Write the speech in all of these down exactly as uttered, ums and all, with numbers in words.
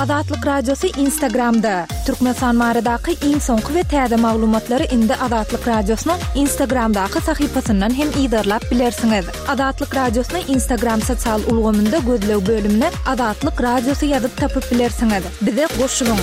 Azatlyk Radiosy Instagramda. Türkmenistan baradaky iň soňky we täze maglumatlary indi Azatlyk Radiosynyň Instagramdaky sahypasyndan hem yzarlap bilersiňiz. Azatlyk Radiosyny Instagram sosial ulgamynda gözleg bölümine Azatlyk Radiosy ýazyp tapyp bilersiňiz. Bize goşulyň.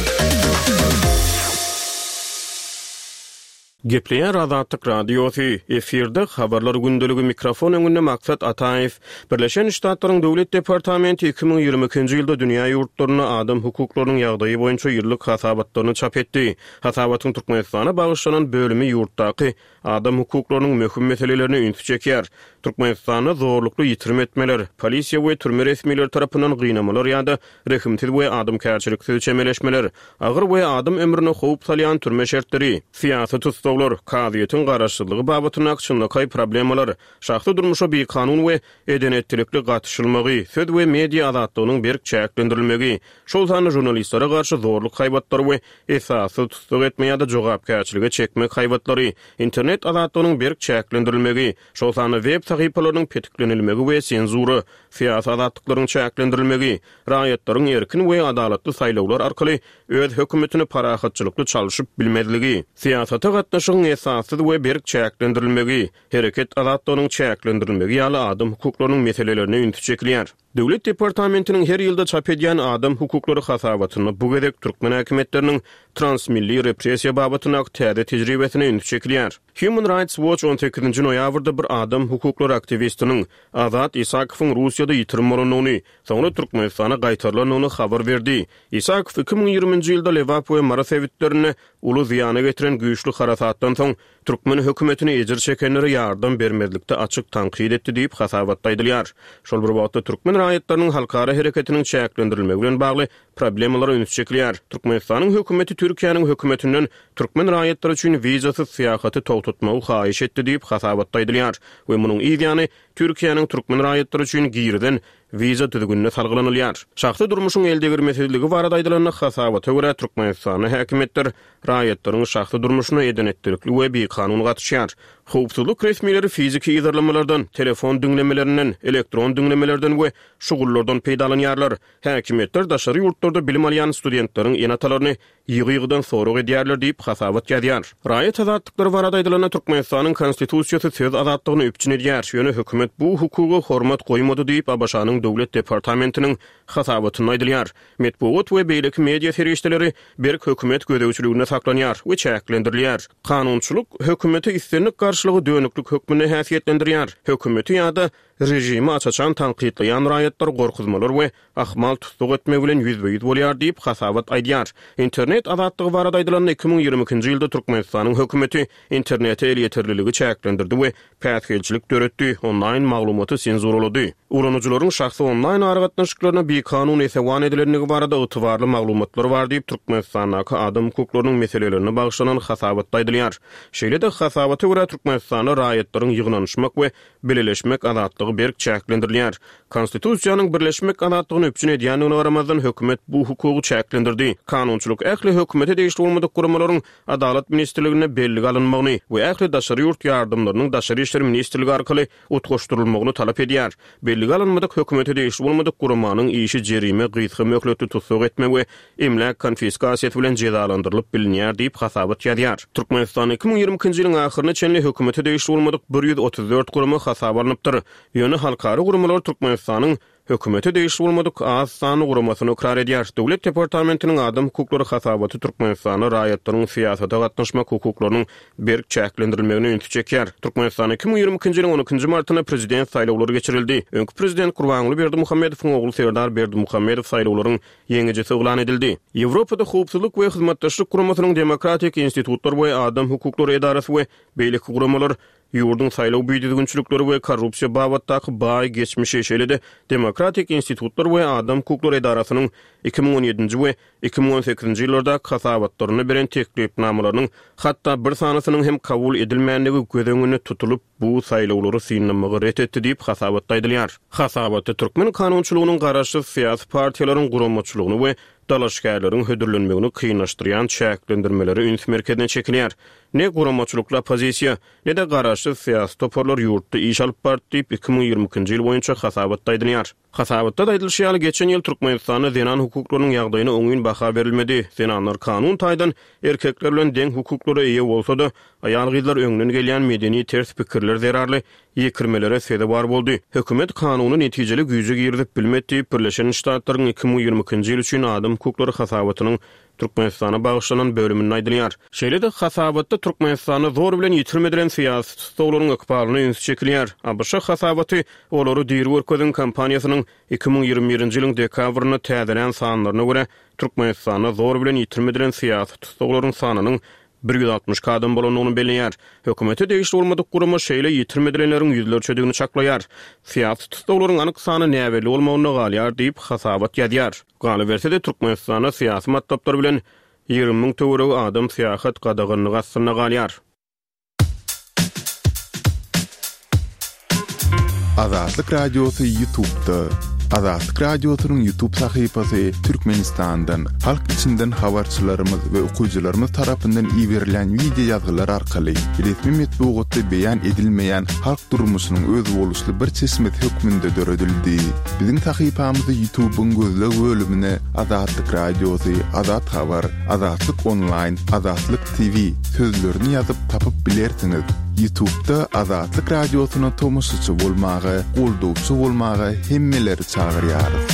Gepleýär Azatlyk Radiosy, efirde habarlar gündeligi, mikrofon öňünde Maksat Ataýew. Birleşen Ştatlaryň Döwlet departamenti iki müň ýigrimi ikinji ýylda dünýä ýurtlarynda adam hukuklarynyň ýagdaýy boýunça ýyllyk hasabatlaryny çap etdi. Hasabatyň Türkmenistana bagyşlanan bölümi ýurtdaky adam hukuklarynyň möhüm meselelerine ünsi çekýär. Türkmenistanda zorlukly ýitirim etmeler, polisiýa we türme resmileri tarapyndan gynamalar ýa-da rehimsiz we adamkärçiliksiz çemeleşmeler, agyr we adam ömrüne howp salýan türme şertleri, syýasy tussaglar, kazyýetiň garaşsyzlygy babatyndaky çynlakaý problemalar, şahsy durmuşa bikanun we edenetdilikli gatyşylmagy, söz we media azatlygynyň berk çäklendirilmegi, şol sanda žurnalistlere garşy zorluk haýbatlary we esassyz tussag etme ýa-da jogapkärçilige çekmek haýbatlary, internet azatlygynyň berk çäklendirilmegi, şol sanda web sahypalarynyň petiklenilmegi we senzura, syýasy azatlyklaryň çäklendirilmegi, raýatlaryň erkin we adalatly saýlawlar arkaly öz hökümetini parahatçylykly çalşyp bilmezligi, syýasata gatnaşygyň esassyz we berk çäklendirilmegi, hereket azatlygynyň çäklendirilmegi ýaly adam hukuklarynyň meselelerine ünsi çekilýär. Döwlet departamentiniň her ýylda çap edýän adam hukuklary hasabatynda bu gezek türkmen häkimiýetleriniň transmilli repressiýa babatyndaky täze tejribesine ünsi çekilýär. Human Rights Watch on sekizinji noýabrda bir adam hukuklary aktiwistiniň Azat Isakowyň Russiýada ýitirim bolandygyny, soňra Türkmenistana gaýtarylandygyny habar berdi. Isakow iki müň ýigriminji ýylda Lebap we Mary sebitlerinde uly zyýana getiren güýçli harasatdan soň türkmen hökümetini ejir çekenlere ýardam bermezlikde açyk tankyt etdi diýip hasabatda aýdylýar. Şol bir wagtda türkmen raýatlarynyň halkara hereketiniň çäklendirilmegi bilen bagly problemalara üns çekilýär. Türkmenistanyň hökümeti Türkiýäniň hökümetinden türkmen raýatlary üçin wizasyz syýahaty togtatmagy haýyş etdi diýip hasabatda aýdylýar we munuň yz ýany Türkiýäniň türkmen raýatlary üçin girizen wiza düzgünine salgylanylýar. Şahsy durmuşyň eldegirmesizligi barada aýdylanda hasabata görä Türkmenistanda häkimiýetler raýatlaryň şahsy durmuşyna edenetdilikli we bikanun gatyşýar. Howpsuzlyk resmileri fiziki yzarlamalardan, telefon diňlemelerinden, elektron diňlemelerden we şugullardan peýdalanýarlar. Häkimiýetler daşary ýurtlarda bilim alýan studentleriň ene-atalaryny ýygy-ýygydan sorag edýärler diýip hasabat ýazýar. Raýat azatlyklary barada aýdylanda Türkmenistanyň konstitusiýasy söz azatlygyny üpjün edýär. Ýöne hökümet bu hukuga hormat goýmady diýip A B Ş-nyň Döwlet departamentiniň hasabatynda aýdylýar. Metbugat we beýleki media serişdeleri berk hökümet gözegçiliginde saklanýar we çäklendirilýär. Kanunçylyk hökümete islendik garşylygy dönüklük hökmünde häsiýetlendirýär. Hökümeti ýa-da rejimi aç-açan tankytlaýan raýatlar gorkuzmalar we ahmal tussag etme bilen ýüzbe-ýüz bolýar diýip hasabat aýdýar. Internet azatlygy barada aýdylanda iki müň ýigrimi ikinji ýylda Türkmenistanyň hökümeti internete elýeterliligi çäklendirdi we päsgelçilik döretdi, onlaýn maglumaty senzuralady. Ulanyjylaryň şahsy onlaýn aragatnaşyklaryna bikanun esewan edilendigi barada ygtybarly maglumatlar bar diýip Türkmenistandaky adam hukuklarynyň meselelerine bagyşlanan hasabatda aýdylýar. Şeýle-de hasabata görä Türkmenistanda raýatlaryň ýygnanyşmak we bileleşmek azatlygy berk çäklendirilýär. Konstitusiýanyň birleşmek azatlygyny üpjün edýändigine garamazdan hökümet bu hukugy çäklendirdi. Kanunçylyk ähli hökümete degişli bolmadyk guramalaryň Adalat ministrligine bellige alynmagyny we ähli daşary ýurt ýardamlarynyň Daşary işler ministrligi arkaly utgaşdyrylmagyny talap edýär. Bellige alynmadyk hökümete degişli bolmadyk guramanyň işi jerime, gysga möhletli tussag etme we emläk konfiskasiýasy bilen jezalandyrylyp bilinýär diýip hasabat ýazýar. Türkmenistan iki müň ýigrimi ikinji ýylyň ahyryna çenli hökümete degişli bolmadyk bir ýüz otuz dört gurama hasaba alnypdyr. Ýöne halkara guramalar Türkmenistanyň hökümete degişli bolmadyk az sanly guramasyny ykrar edýär. Döwlet departamentiniň adam hukuklary hasabaty Türkmenistanda raýatlaryň syýasata gatnaşmak hukuklarynyň berk çäklendirilmegine ünsi çekýär. Türkmenistan iki müň ýigrimi ikinji ýylyň on ikinji martynda prezident saýlawlary geçirildi. Öňki prezident Gurbanguly Berdimuhamedowyň ogly Serdar Berdimuhamedow saýlawlaryň ýeňijisi yglan edildi. Ýewropada Howpsuzlyk we Hyzmatdaşlyk Guramasynyň Demokratik institutlar we adam hukuklary edarasy we beýleki guramalar ýurduň saýlaw büdüzgünçilikleri we korrupsiýa babatdaky baý geçmişi, şeýle-de Demokratik institutlar we adam hukuklary edarasynyň iki müň on ýedinji we iki müň on sekizinji ýyllardaky hasabatlarynda beren teklipnamalarynyň hatda bir sanysynyň hem kabul edilmändigi göz öňünde tutulyp, bu saýlawlary synlamagy ret etdi diýip hasabatda aýdylýar. Hasabatda türkmen kanunçylygynyň garaşsyz syýasy partiýalaryň guramaçylygyny we dalaşgärleriň hödürlenmegini kynlaşdyrýan çäklendirmelere üns merkezine çekilýär. Ne guramaçylykly oppozisiýa, ne-de garaşsyz syýasy toparlar ýurtda iş alyp bardy diýip iki müň ýigrimi ikinji ýyl boýunça hasabatda aýdylýar. Hasabatda aýdylyşy ýaly, geçen ýyl Türkmenistanda zenan hukuklarynyň ýagdaýyna oňyn baha berilmedi. Zenanlar kanun taýdan erkekler bilen deň hukuklara eýe bolsa-da, aýal-gyzlar öňden gelýän medeni ters pikirler zerarly ýekirmelere sezewar boldy. Hökümet kanuny netijeli güýje girizip bilmedi diýip, Birleşen Ştatlaryň iki müň ýigrimi ikinji ýyl üçin adam hukuklary hasabatynyň Türkmenistana bagyşlanan bölüminde aýdylýar. Şeýle-de hasabatda Türkmenistanda zor bilen ýitirim edilen syýasy tussaglaryň ykbalyna üns çekilýär. A B Ş hasabaty olary diri görkeziň kampaniýasynyň iki müň ýigrimi birinji ýylyň dekabrynda täzelän sanlaryna görä Türkmenistanda zor bilen ýitirim edilen syýasy tussaglaryň sanynyň bir ýüz altmyş iki adam bolandygyny belleýär. Hökümete degişli bolmadyk gurama şeýle ýitirim edilenleriň ýüzlerçedigini çaklaýar. Syýasy tussaglaryň anyk sany näbelli bolmagynda galýar diýip hasabat ýazýar. Galyberse-de Türkmenistanda syýasy matlaplar bilen ýigrimi müň töweregi adam syýahat gadaganlygy astynda galýar. Azatlyk Radiosy YouTube'da. Azatlyk Radiosynyň YouTube sahypasy Türkmenistandan, halk içinden habarçylarymyz we okyjylarymyz tarapyndan iberilen video ýazgylar arkaly resmi metbugatda beýan edilmeýän halk durmuşynyň özboluşly bir çeşmesi hökmünde döredildi. Biziň sahypamyzy YouTube'yň gözleg bölümine Azatlyk Radiosy, Azat Habar, Azatlyk Online, Azatlyk T V sözlerini ýazyp tapyp bilersiňiz. YouTube'da Azatlyk Radiosyna tomaşaçy bolmaga, goldawçy bolmaga hemmeleri çagyrýarys.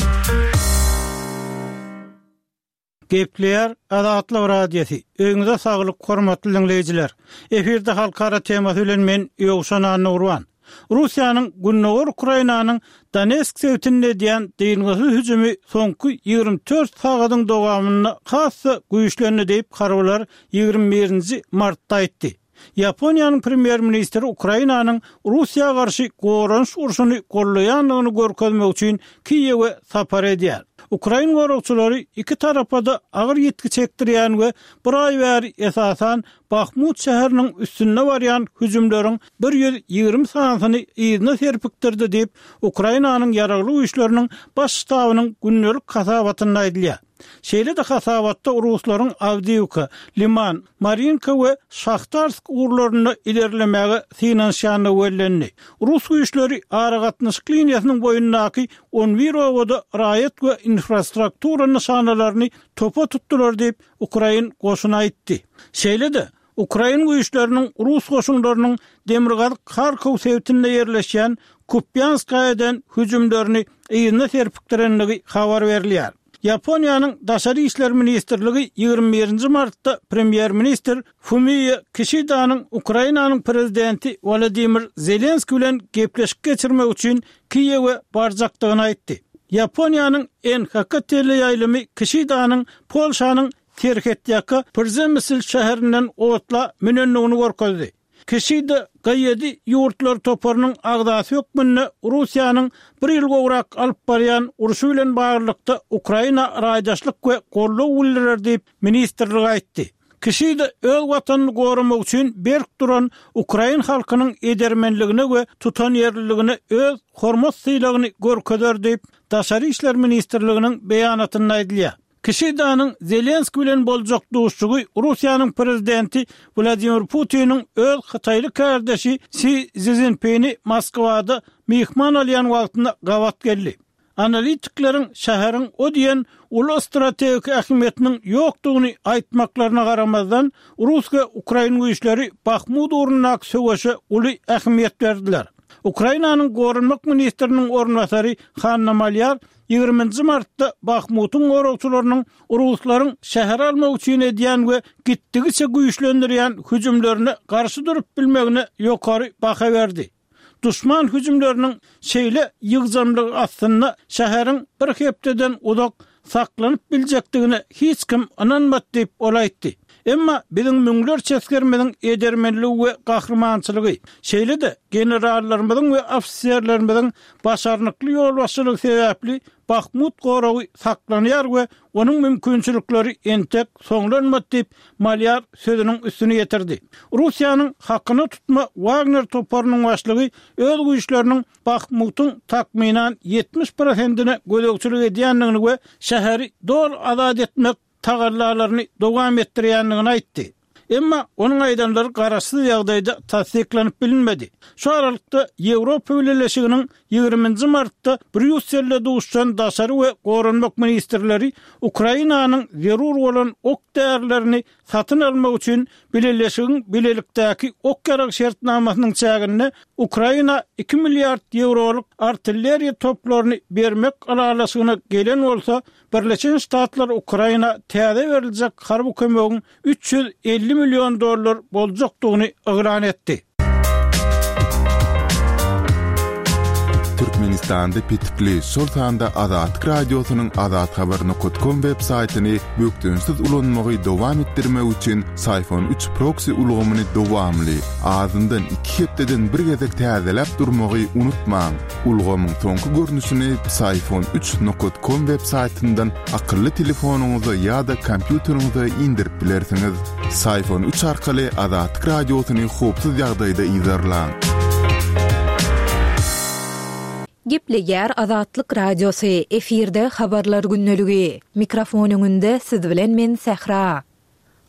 Gepleýär Azatlyk Radiosy. Öýüňize saglyk, hormatly dinleýjiler. Efirde halkara temasy bilen men Ýowşan Annagurban. Russiýanyň Gündogar Ukrainanyň Donetsk sebitinde edýän dyngysyz hüjümi soňky ýigrimi dört sagadyň dowamynda has-da güýçlendi diýip harbylar ýigrimi birinji martda aýtdy. Ýaponiýanyň premýer-ministri Ukrainanyň Russiýa garşy goranyş urşuny gollaýandygyny görkezmek üçin Kiýewe sapar edýär. Ukrain goragçylary iki tarapa-da agyr ýitgi çekdirýän we bir aý bäri esasan Bahmut şäheriniň üstünde barýan hüjümleriň bir ýüz ýigrimi sanysyny yzyna serpikdirdi diýip Ukrainanyň ýaragly güýçleriniň baş ştabynyň gündelik hasabatynda aýdylýar. Şeýle-de hasabatda Ruslaryň Awdiýewka, Liman, Marinka we Şahtarsk ugurlarynda ilerlemäge synanyşýandygy bellendi. Rus güýçleri aragatnaşyk liniýasynyň boýundaky on bir obada raýat we infrastruktura nyşanalaryny topa tutdular diýip Ukrain goşuny aýtdy. Şeýle-de Ukrain güýçleriniň Rus goşunlarynyň Demirgazyk Harkow sebitinde ýerleşýän Kupýanskaýa eden hüjümlerini yzyna serpikdirendigi habar berilýär. Ýaponiýanyň Daşary işler ministrligi ýigrimi birinji martda premýer-ministr Fumio Kishidanyň Ukrainanyň prezidenti Wladimir Zelenski bilen gepleşik geçirmek üçin Kiýewe barjakdygyny aýtdy. Ýaponiýanyň N H K teleýaýlymy Kishidanyň Polşanyň Serhetýaka Przemysl şäherinden otla münendigini görkezdi. Kişida G ýedi ýurtlar toparynyň agzasy hökmünde Russiýanyň bir ýyl gowrak alyp barýan urşy bilen baglylykda Ukraina raýdaşlyk we goldaw bildirer diýip ministrlik aýtdy. Kişida öz watanyny goramak üçin berk duran Ukrain halkynyň edermenligine we tutanýerliligine öz hormat sylagyny görkezer diýip Daşary işler ministrliginiň beýanatynda aýdylýar. Kişidanyň Zelenski bilen boljak duşuşygy Russiýanyň prezidenti Wladimir Putiniň öz Hytaýly kardeşi Si Szinpini Moskwada myhman alýan wagtynda gabat geldi. Analitikleriň şäheriň o diýen uly strategik ähmiýetiniň ýokdugyny aýtmaklaryna garamazdan, Rus we Ukrain güýçleri Bahmut ugrundaky söweşe uly ähmiýet berdiler. Ukrainanyň goranmak ministriniň orunbasary Hanna Malýar ýigriminji martda Bahmutyň goragçylarynyň Ruslaryň şäher almak üçin edýän we gitdigiçe güýçlendirýän hüjümlerine garşy durup bilmegine ýokary baha berdi. Düşman hüjümleriniň şeýle ýygjamlygy aslynda şäheriň bir hepdeden uzak saklanyp biljekdigine hiç kim ynanmady diýip ol aýtdy. Emma biziň müňlerçe esgerimiziň edermenligi we gahrymançylygy, şeýle-de generallarymyzyň we ofiserlerimiziň başarnykly ýolbaşçylygy sebäpli Bahmut goragy saklanýar we onuň mümkinçilikleri entek soňlanmady diýip, Malýar sözüniň üstüni ýetirdi. Russiýanyň hakyna tutma Wagner toparynyň başlygy öz güýçleriniň Bahmutyň takmynan ýetmiş prosentine gözegçilik edýändigini we şäheri doly azat etmek tagallalaryny dowam etdirýändigini aýtdy. Emma onuň aýdanlary garaşsyz ýagdaýda tassyklanyp bilinmedi. Şu aralykda, Ýewropa Bileleşiginiň ýigriminji martda Brýusselde duşuşan daşary we goranmak ministrleri Ukrainanyň zerur bolan ok-därilerini satyn almak üçin Bileleşigiň bilelikdäki ok-ýarag şertnamasynyň çäginde Ukraina iki milliard ýewrolyk artilleriýa toplaryny bermek ylalaşygyna gelen bolsa, Birleşen Ştatlar Ukraina täze beriljek harby kömegiň üç ýüz elli million dollar boljakdygyny yglan etdi. Türkmenistanda petikli, şol sanda Azatlyk Radiosynyň azathabar nokat kom web saýtyny bökdençsiz ulanmagy dowam etdirmek üçin Syfon üç proksi ulgamyny dowamly, azyndan iki hepdeden bir gezek täzeläp durmagy unutmaň. Ulgamyň soňky görnüşini Psiphon üç nokat com web saýtyndan akylly telefonyňyza ýa-da kompýuteriňize indirip bilersiňiz. Psiphon üç arkaly Azatlyk Radiosyny howpsuz ýagdaýda yzarlaň. Gepleýär Azatlyk Radiosy, efirde Habarlar gündeligi. Mikrofon öňünde siz bilen men Sähra.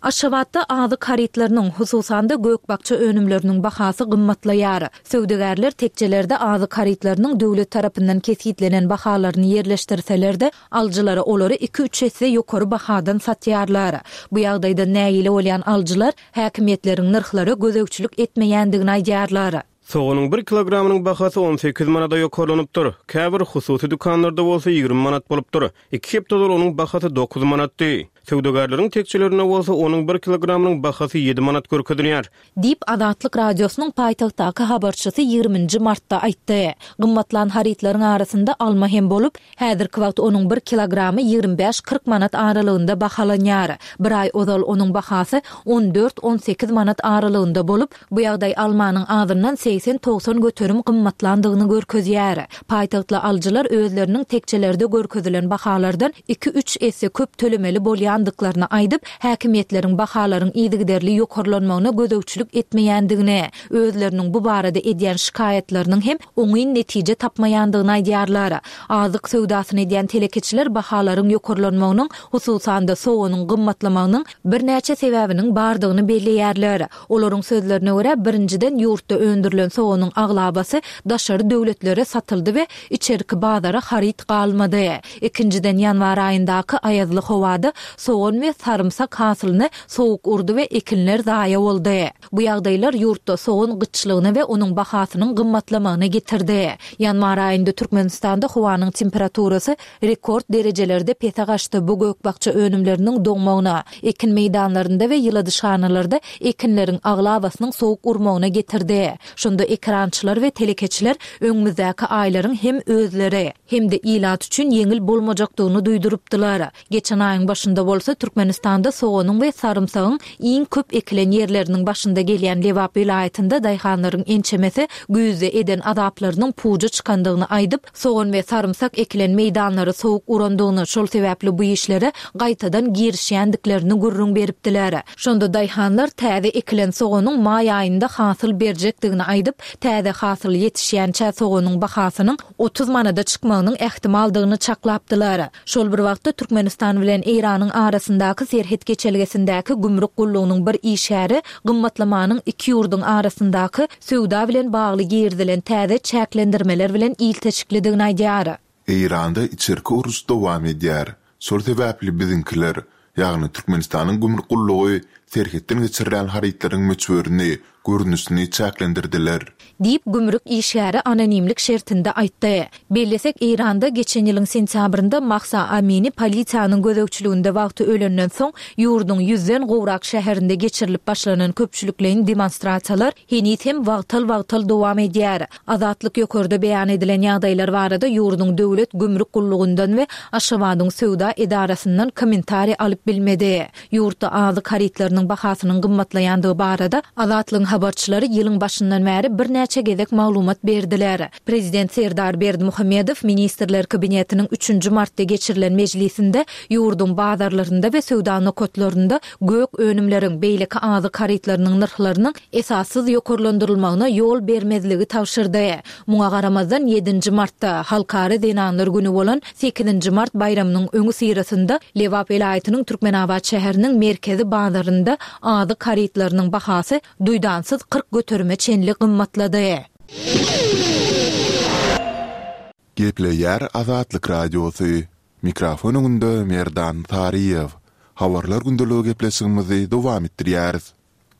Aşgabatda azyk harytlarynyň, hususan-da gök-bakja önümleriniň bahasy gymmatlaýar. Söwdagärler tekjelerde azyk harytlarynyň döwlet tarapyndan kesgitlenen bahalaryny ýerleşdirseler-de, alyjylara olary iki-üç esse ýokary bahadan satýarlar. Bu ýagdaýdan nägile bolýan alyjylar häkimiýetleriň nyrhlara gözegçilik etmeýändigini aýdýarlar. Soganyň bir kilogramynyň bahasy on sekiz manada ýokarlanypdyr. Käbir hususy dükanlarda bolsa ýigrimi manat bolupdyr. Iki hepde ozal onuň bahasy dokuz manatdy. Söwdagärleriň tekjelerinde bolsa onuň bir kilogramynyň bahasy ýedi manat görkezilýär. Diýip, Azatlyk Radiosynyň paýtagtdaky habarçysy ýigriminji martda aýtdy. Gymmatlan harytlaryň arasynda alma hem bolup, häzirki wagt onuň bir kilogramy ýigrimi bäş-kyrk manat aralygynda bahalanýar. Bir aý ozal onuň bahasy on dört-on sekiz manat aralygynda bolup, bu ýagdaý almanyň azyndan segsen-togsan göterim gymmatlandygyny görkezýär. Paýtagtly alyjylar özleriniň tekjelerde görkezilen bahalardan iki-üç esse köp tölemeli bolýandyklaryny aýdyp, häkimiýetleriň bahalaryň yzygiderli ýokarlanmagyna gözegçilik etmeýändigini, özleriniň bu barada edýän şikaýatlarynyň hem oňyn netije tapmaýandygyny aýdýarlar. Azyk söwdasyny edýän telekeçiler bahalaryň ýokarlanmagynyň, hususan-da soganyň gymmatlamagynyň birnäçe sebäbiniň bardygyny belleýärler. Olaryň sözlerine görä, birinjiden ýurtda öndürilen soganyň aglabasy daşary döwletlere satyldy we içerki bazara haryt galmady. Ikinjiden ýanwar aýyndaky aýazly howada sogan we sarymsak hasylyny sowuk urdy we ekinler zaýa boldy. Bu ýagdaýlar ýurtda sogan gytçylygyna we onuň bahasynyň gymmatlamagyna getirdi. Ýanwar aýynda Türkmenistanda howanyň temperaturasy rekord derejelerde pese gaçdy. Bu gök-bakja önümleriniň doňmagyna, ekin meýdanlarynda we ýyladyşhanalarda ekinleriň aglabasynyň sowuk urmagyna getirdi. Şonda ekerançylar we telekeçiler öňümizdäki aýlaryň hem özleri, hem-de ilat üçin ýeňil bolmajakdygyny duýdurypdylar. Geçen aýyň başynda bolsa Türkmenistanda soganyň we sarymsagyň iň köp ekilen ýerleriniň başynda gelýän Lebap welaýatynda daýhanlaryň ençemesi güýzde eden azaplarynyň puja çykandygyny aýdyp, sogan we sarymsak ekilen meýdanlary sowuk urandygyny, şol sebäpli bu işlere gaýtadan girişýändiklerini gürrüň beripdiler. Şonda daýhanlar täze ekilen soganyň maý aýynda hasyl berjekdigini aýdyp, täze hasyl ýetişýänçä soganyň bahasynyň otuz manada çykmagynyň ähtimaldygyny çaklapdylar. Şol bir wagtda Türkmenistan bilen Eýranyň arasyndaky serhet geçelgesindäki gümrük gullugynyň bir işgäri gymmatlamanyň iki ýurduň arasyndaky söwda bilen bagly girizilen täze çäklendirmeler bilen ilteşiklidigini aýdýar. Eýranda içerki uruş dowam edýär. Şol sebäpli biziňkiler, ýagny Türkmenistanyň gümrük gullugy serhetden geçirilýän harytlaryň möçberini, görnüşini çäklendirdiler. Diýip, gümrük işgäri anonimlik şertinde aýtdy. Bellesek, Eýranda geçen ýylyň sentýabrynda Mahsa Amini polisiýanyň gözegçiliginde wagty ölenden soň, ýurduň ýüzden gowrak şäherinde geçirilip başlanan köpçülikleýin demonstrasiýalar heniz hem wagtal-wagtal dowam edýär. Azatlyk ýokarda beýan edilen ýagdaýlar barada ýurduň döwlet gümrük gullugyndan we Aşgabadyň söwda edarasyndan kommentariý alyp bilmedi. Ýurtda azyk harytlarynyň harytlarynyň bahasynyň gymmatlaýandygy barada Azatlygyň habarçylary ýylyň başyndan bäri birnäçe gezek maglumat berdiler. Prezident Serdar Berdimuhamedow Ministrler Kabinetiniň üçünji martda geçirilen mejlisinde ýurduň bazarlarynda we söwda nokatlarynda gök önümleriň, beýleki azyk harytlarynyň nyrhlarynyň esassyz ýokarlandyrylmagyna ýol bermezligi tabşyrdy. Muňa garamazdan, ýedinji martda, Halkara zenanlar güni bolan sekizinji mart baýramynyň öňüsyrasynda Lebap welaýatynyň Türkmenabat şäheriniň merkezi bazarynda azyk harytlarynyň bahasy duýdansyz kyrk göterime çenli gymmatlady. Gepleýär Azatlyk Radiosy, Mikrofon öňünde Merdan Saryýew. Habarlar gündeligi gepleşigimizi dowam etdirýäris.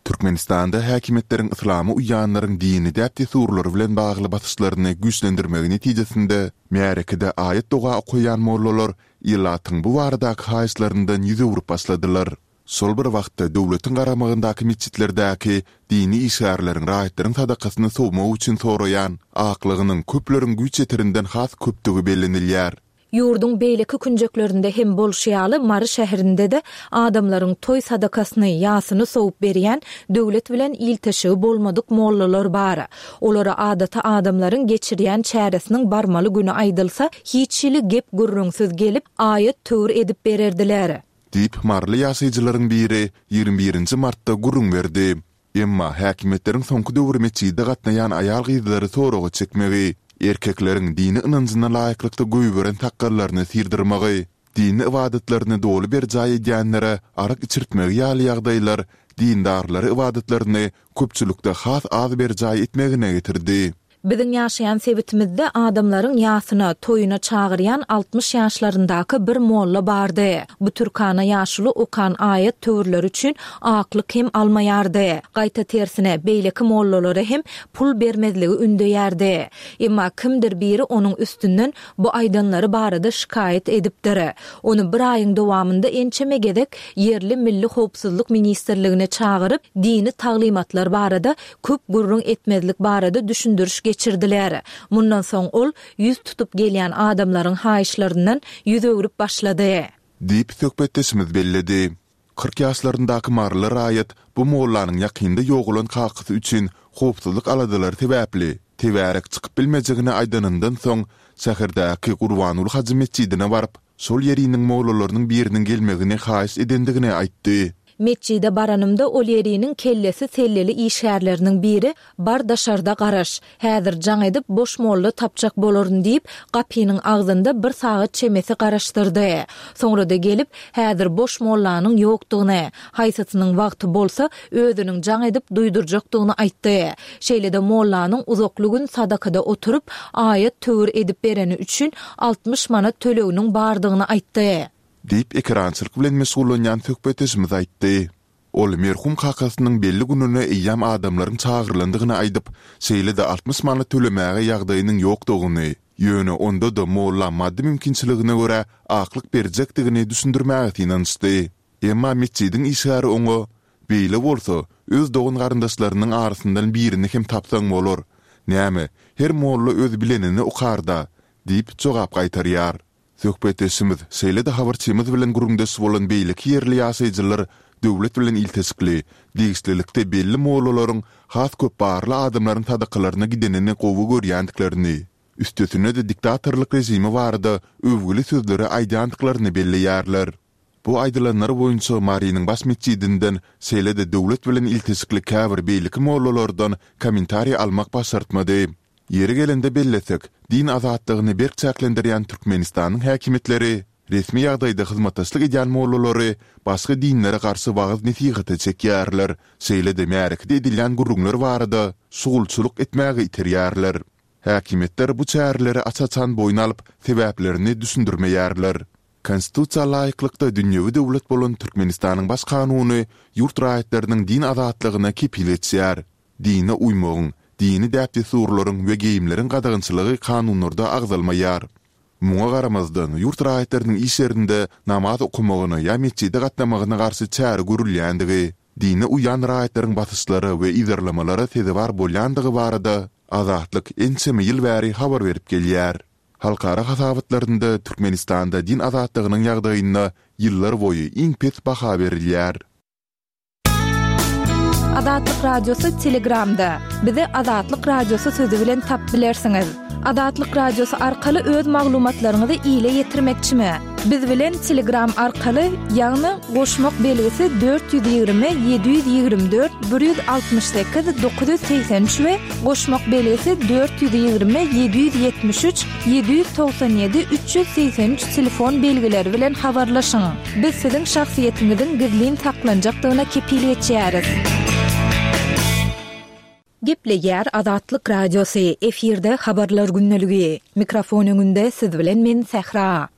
Türkmenistanda häkimiýetleriň yslama uýýanlaryň dini däp-dessurlary bilen bagly basyşlaryny güýçlendirmegi netijesinde, märekede aýat-doga okaýan mollalar ilatyň bu baradaky haýyşlaryndan ýüz öwrüp başladylar. Şol bir wagtda, döwletiň garamagyndaky metjitlerdäki dini işgärleriň raýatlaryň sadakasyny sowmak üçin soraýan aklygynyň köpleriň güýç ýeterinden has köpdügi bellenilýär. Ýurduň beýleki künjeklerinde hem bolşy ýaly, Mary şäherinde-de adamlaryň toý sadakasyny, ýasyny sowup berýän döwlet bilen ilteşigi bolmadyk mollalar bar. Olara adaty adamlaryň geçirýän çäresiniň barmaly güni aýdylsa, hiç hili gep-gürrüňsiz gelip, aýat-töwir edip bererdiler. Diýip, maryly ýaşaýjylaryň biri ýigrimi birinji martda gürrüň berdi. Emma häkimiýetleriň soňky döwür metjide gatnaýan aýal-gyzlary soraga çekmegi, erkekleriň dini ynanjyna laýyklykda goýberen sakgallaryny syrdyrmagy, dini ybadatlaryny doly berjaý edýänlere arak içirtmegi ýaly ýagdaýlar dindarlary ybadatlaryny köpçülikde has az berjaý etmegine getirdi. Biziň ýaşaýan sebitimizde adamlaryň ýasyna, toýuna çagyrýan altmyş ýaşlaryndaky bir molla bardy. Bu türkana ýaşuly okan aýat-töwirleri üçin aklyk hem almaýardy. Gaýta tersine, beýleki mollalara hem pul bermezligi ündeýärdi. Emma kimdir biri onuň üstünden bu aýdanlary barada şikaýat edipdir. Ony bir aýyň dowamynda ençeme gezek ýerli Milli howpsuzlyk ministrligine çagyryp, dini taglymatlar barada köp gürrüň etmezlik barada düşündiriş geçirdiler. Mundan soň ol ýüz tutup gelýän adamlaryň haýyşlaryndan ýüz öwrüp başlady. Diýip, söhbetdeşimiz belledi. Kyrk ýaşlaryndaky maryly raýat bu mollanyň ýakynda ýogalan kakasy üçin howpsuzlyk aladalary sebäpli, tebärek çykyp bilmejegini aýdanyndan soň, şäherdäki Gurbanguly hajy metjidine baryp, şol ýeriniň mollalarynyň biriniň gelmegini haýyş edendigini aýtdy. Metjide baranymda ol ýeriniň kellesi selleli işgärleriniň biri, Bar daşarda garaş. Häzir jaň edip boş molla tapjak bolaryn diýip, gapynyň agzynda bir sagat çemesi garaşdyrdy. Soňra-da gelip, häzir boş mollanyň ýokdugyny, haýsysynyň wagty bolsa, özüniň jaň edip duýdurjakdygyny aýtdy. Şeýle-de mollanyň uzakly gün sadakada oturyp, aýat-töwir edip bereni üçin altmyş manat töleginiň bardygyny aýtdy. Diýip, ekerançylyk bilen meşgullanýan söhbetdeşimiz aýtdy. Ol merhum kakasynyň belli gününe eýýäm adamlaryň çagyrylandygyny aýdyp, şeýle-de altmyş manat tölemäge ýagdaýynyň ýokdugyny, ýöne onda-da molla maddy mümkinçiligine görä aklyk berjekdigini düşündirmäge synanyşdy. Emma metjidiň işgäri oňa, Beýle bolsa, öz dogan-garyndaşlarynyň arasyndan birini hem tapsaň bolar. Näme, her molla öz bilenini okar-da! diýip jogap gaýtarýar. Söhbetdeşimiz, şeýle-de habarçymyz bilen gürrüňdeş bolan beýleki ýerli ýaşaýjylar döwlet bilen ilteşikli, degişlilikde belli mollalaryň has köp barly adamlaryň sadakalaryna gidenini gowy görýändiklerini, üstesine-de diktatorlyk režimi barada öwgüli sözleri aýdýandyklaryny belleýärler. Bu aýdylanlar boýunça Marynyň baş metjidinden, şeýle-de döwlet bilen ilteşikli käbir beýleki mollalardan kommentariý almak başartmady. Ýeri gelende bellesek, din azatlygyny berk çäklendirýän Türkmenistanyň häkimiýetleri resmi ýagdaýda hyzmatdaşlyk edýän mollalary başga dinlere garşy wagyz-nesihata çekýärler, şeýle-de märekede edilýän gürrüňler barada şugulçylyk etmäge iterýärler. Häkimiýetler bu çäreleri aç-açan boýun alyp, sebäplerini düşündirmeýärler. Konstitusiýa laýyklykda dünýewi döwlet bolan Türkmenistanyň Baş kanuny ýurt raýatlarynyň din azatlygyna kepil geçýär. Dine uýmagyň, dini däp-dessurlaryň we geýimleriň gadagançylygy kanunlarda agzalmaýar. Muňa garamazdan, ýurt raýatlarynyň iş ýerinde namaz okamagyna ýa metjide gatnamagyna garşy çäre görülýändigi, dine uýýan raýatlaryň basyşlara we yzarlamalara sezewar bolýandygy barada Azatlyk ençeme ýyl bäri habar berip gelýär. Halkara hasabatlarynda Türkmenistanda din azatlygynyň ýagdaýyna ýyllarboýy iň pes baha berilýär. Azatlyk Radiosy Telegramda. Bizi Azatlyk Radiosy sözi bilen tapyp bilersiňiz. Azatlyk Radiosy arkaly öz maglumatlaryňyzy ile ýetirmekçimi? Biz bilen Telegram arkaly, ýagny goşmak belgisi dört ýüz ýigrimi ýedi ýüz ýigrimi dört bir ýüz altmyş sekiz dokuz ýüz segsen üç we goşmak belgisi dört ýüz ýigrimi ýedi ýüz ýetmiş üç ýedi ýüz togsan ýedi üç ýüz segsen üç telefon belgileri bilen habarlaşyň. Biz siziň şahsyýetiňiziň gizlin saklanjakdygyna kepil geçýäris. Gepleýär Azatlyk Radiosy, efirde Habarlar gündeligi. Mikrofon öňünde siz bilen men Sähra.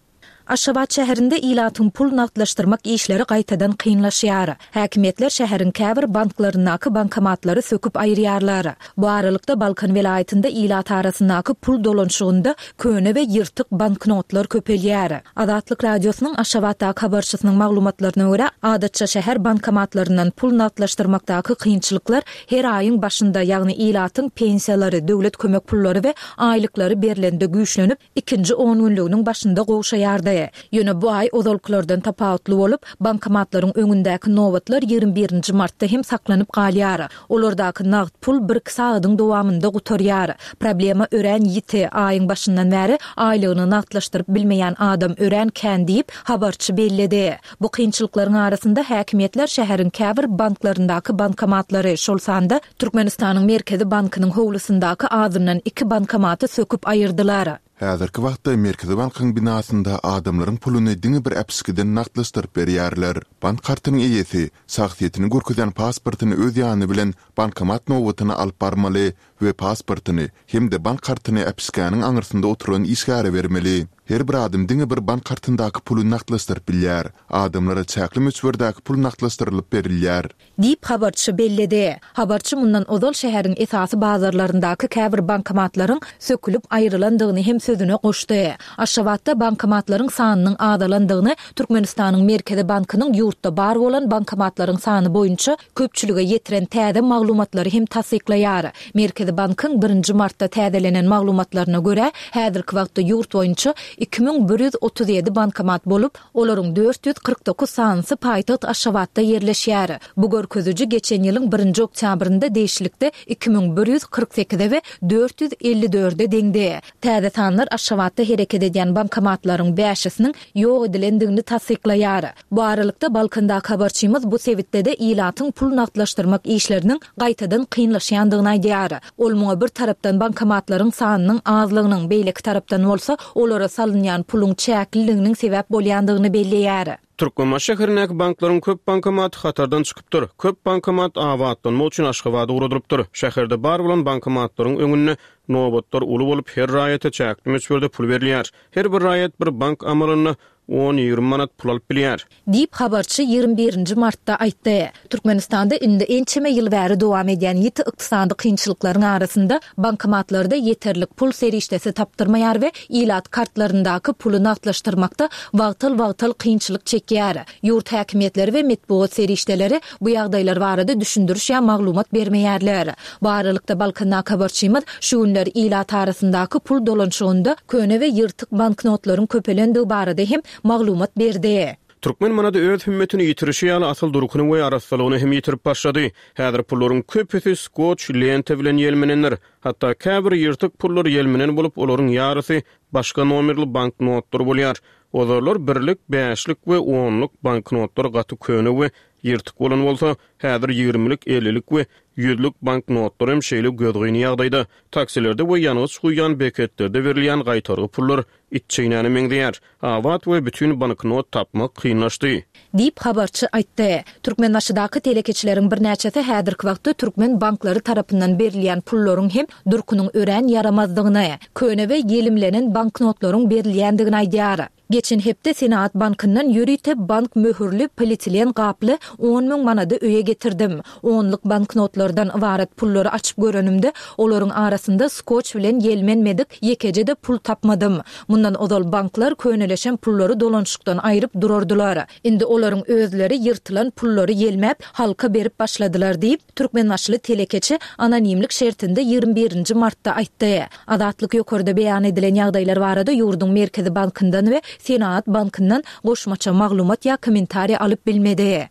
Aşgabat şäherinde ilatyň pul nagtlaşdyrmak işleri gaýtadan kynlaşýar. Häkimiýetler şäheriň käbir banklaryndaky bankomatlary söküp aýyrýarlar. Bu aralykda Balkan welaýatynda ilat arasyndaky pul dolanyşygynda köne we ýyrtyk banknotlar köpelýär. Azatlyk Radiosynyň Aşgabatdaky habarçysynyň maglumatlaryna görä, adatça şäher bankomatlaryndan pul nagtlaşdyrmakdaky kynçylyklar her aýyň başynda, ýagny ilatyň pensiýalary, döwlet kömek pullary we aýlyklary berlende güýçlenip, ikinji on günlüginiň başynda gowşaýardy. Ýöne bu aý ozalkylardan tapawutly bolup, bankomatlaryň öňündäki nobatlar ýigrimi birinji martda hem saklanyp galýar. Olardaky nagt pul bir-iki sagadyň dowamynda gutarýar. Problema örän ýiti, aýyň başyndan bäri aýlygyny nagtlaşdyryp bilmeýän adam örän kän diýip, habarçy belledi. Bu kynçylyklaryň arasynda häkimiýetler şäheriň käbir banklaryndaky bankomatlary, şol sanda Türkmenistanyň Merkezi bankynyň howlusyndaky azyndan iki bankomaty söküp aýyrdylar. Häzirki wagtda Merkezi bankyň binasynda adamlaryň puluny diňe bir äpişgeden nagtlaşdyryp berýärler. Bank kartynyň eýesi şahsyýetini görkezýän pasportyny öz ýany bilen bankomat nobatyna alyp barmaly we pasportyny hem-de bank kartyny äpişgäniň aňyrsynda oturan işgäre bermeli. Her bir adam diňe bir bank kartyndaky puly nagtlaşdyryp bilýär. Adamlara çäkli möçberdäki pul nagtlaşdyrylyp berilýär. Diýip, habarçy belledi. Habarçy mundan ozal şäheriň esasy bazarlaryndaky käbir bankomatlaryň sökülip aýrylandygyny hem sözüne goşdy. Aşgabatda bankomatlaryň sanynyň azalandygyny Türkmenistanyň Merkezi bankynyň ýurtda bar bolan bankomatlaryň sany boýunça köpçülige ýetiren täze maglumatlary hem tassyklaýar. Merkezi bankyň birinji martda täzelenen maglumatlaryna görä, häzirki wagtda ýurt boýunça iki müň bir ýüz otuz ýedi bankomat bolup, olaryň dört ýüz kyrk dokuz sanysy paýtagt Aşgabatda ýerleşýär. Bu görkeziji geçen ýylyň birinji oktýabrynda degişlilikde iki müň bir ýüz kyrk sekize we dört ýüz elli dörde deňdi. Täze sanlar Aşgabatda hereket edýän bankomatlaryň bäşisiniň ýok edilendigini tassyklaýar. Bu aralykda Balkandaky habarçymyz bu sebitde-de ilatyň pul nagtlaşdyrmak işleriniň gaýtadan kynlaşýandygyny aýdýar. Ol muňa bir tarapdan bankomatlaryň sanynyň azlygynyň, beýleki tarapdan bolsa olara salynýan puluň çäkliliginiň sebäp bolýandygyny belleýär. Türkmenbaşy şäherindäki banklaryň köp bankomaty hatardan çykypdyr. Köp bankomat abatlanmak üçin Aşgabada ugradylypdyr. Şäherde bar bolan bankomatlaryň öňünde nobatlar uly bolup, her raýata çäkli möçberde pul berilýär. Her bir raýat bir bank amalynda on-ýigrimi manat pul alyp bilýär. Diýip, habarçy ýigrimi birinji martda aýtdy. Türkmenistanda indi ençeme ýyl bäri dowam edýän ýiti ykdysady kynçylyklaryň arasynda bankomatlarda ýeterlik pul serişdesi tapdyrmaýar we ilat kartlaryndaky puly nagtlaşdyrmakda wagtal-wagtal kynçylyk çekýär. Ýurt häkimiýetleri we metbugat serişdeleri bu ýagdaýlar barada düşündiriş ýa maglumat bermeýärler. Bu aralykda Balkandaky habarçymyz şu günler ilat arasyndaky pul dolanyşygynda köne we ýyrtyk banknotlaryň köpelendigi barada hem maglumat berdi. Türkmen manady öz hümmetini ýitirişi ýaly asyl durkuny we arassalygyny hem ýitirip başlady. Häzir pullaryň köpüsi skoç lenta bilen ýelmenendir. Hatda käbir ýyrtyk pullar ýelmenen bolup, olaryň ýarysy başga nomerli banknotlar bolýar. Ozallar birlik, bäşlik we onluk banknotlar gaty köne we ýyrtyk bolan bolsa, häzir ýigirmilik, ellilik we ýüzlük banknotlar hem şeýle gözgyny ýagdaýda. Taksilerde we ýangyç guýýan beketlerde berilýän gaýtargy pullar it çeýnäne meňzeýär. Abat we bütün banknot tapmak kynlaşdy. Diýip, habarçy aýtdy. Türkmenbaşydaky telekeçileriň birnäçesi häzirki wagtda türkmen banklary tarapyndan berilýän pullaryň hem durkunyň örän ýaramazdygyny, köne we ýelimlenen banknotlaryň berilýändigini aýdýar. Geçen hepde Senaat bankyndan ýörite bank möhürli polietilen gaply on müň manady öýe getirdim. Onluk banknotlardan ybarat pullary açyp görenimde, olaryň arasynda skoç bilen ýelmenmedik ýekeje-de pul tapmadym. Mundan ozal banklar köneleşen pullary dolanyşykdan aýryp durardylar. Indi olaryň özleri ýyrtylan pullary ýelmäp, halka berip başladylar diýip, Türkmenbaşyly telekeçi anonimlik şertinde ýigrimi birinji martda aýtdy. Azatlyk ýokarda beýan edilen ýagdaýlar barada ýurduň Merkezi bankyndan we Senaat bankyndan goşmaça maglumat ýa kommentariýa alyp bilmedi.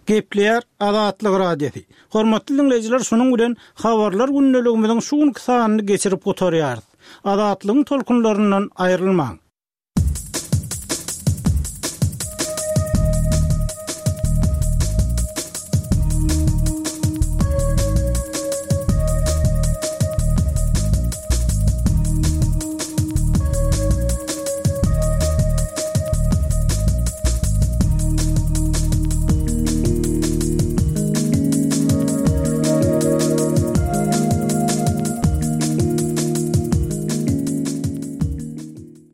Gepleýär Azatlyk Radiosy. Hormatly diňleýjiler, şunuň bilen Habarlar gündeligimiziň şu günki sanyny geçirip gutarýarys. Azatlygyň tolkunlaryndan aýrylmaň.